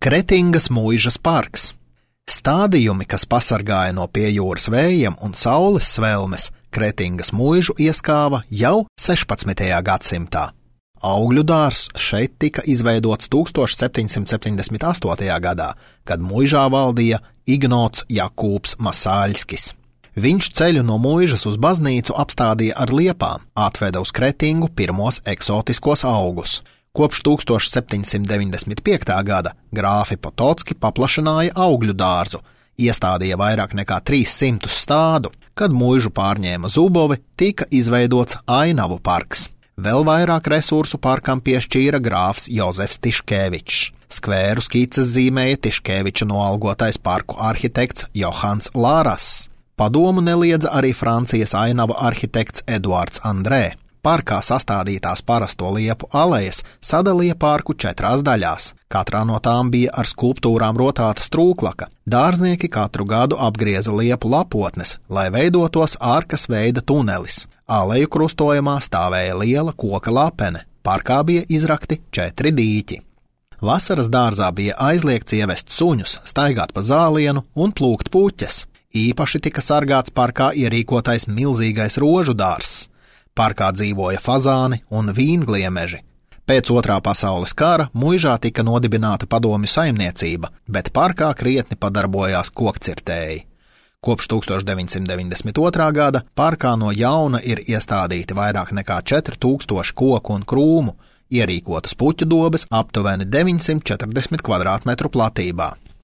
Kretingas muižas parks. Stādījumi, kas pasargāja no piejūras vējiem un saules svelmes, Kretingas muižu ieskāva jau 16. gadsimtā. Augļu dārzs šeit tika izveidots 1778. gadā, kad muižā valdīja Ignots Jakūbs Masāļskis. Viņš ceļu no muižas uz baznīcu apstādīja ar liepām, atveda uz Kretingu pirmos eksotiskos augus. Kopš 1795. gada grāfi Potocki paplašināja augļu dārzu, iestādīja vairāk nekā 300 stādu. Kad muižu pārņēma Zubovi, tika izveidots Ainavu parks. Vēl vairāk resursu parkam piešķīra grāfs Jozefs Tiškevičs. Skvēru skices zīmēja Tiškeviča noalgotais parku arhitekts Johans Lārass. Padomu neliedza arī Francijas Ainavu arhitekts Eduards Andrē. Parkā sastādītās parasto liepu alejas sadalīja parku 4 daļās. Katrā no tām bija ar skulptūrām rotāta strūklaka. Dārznieki katru gadu apgrieza liepu lapotnes, lai veidotos ārkas veida tunelis. Aleju krustojumā stāvēja liela koka lapene. Parkā bija izrakti 4 dīķi. Vasaras dārzā bija aizliegts ievest suņus, staigāt pa zālienu un plūkt puķes. Īpaši tika sargāts parkā ierīkotais milzīgais rožu dārzs. Parkā dzīvoja fazāni un vīngliemeži. Pēc Otrā pasaules kara muižā tika nodibināta padomju saimniecība, bet parkā krietni padarbojās kokcirtēji. Kopš 1992. gada parkā no jauna ir iestādīti vairāk nekā 4000 koku un krūmu, ierīkotas puķu dobes aptuveni 940 kvadrātmetru platībā.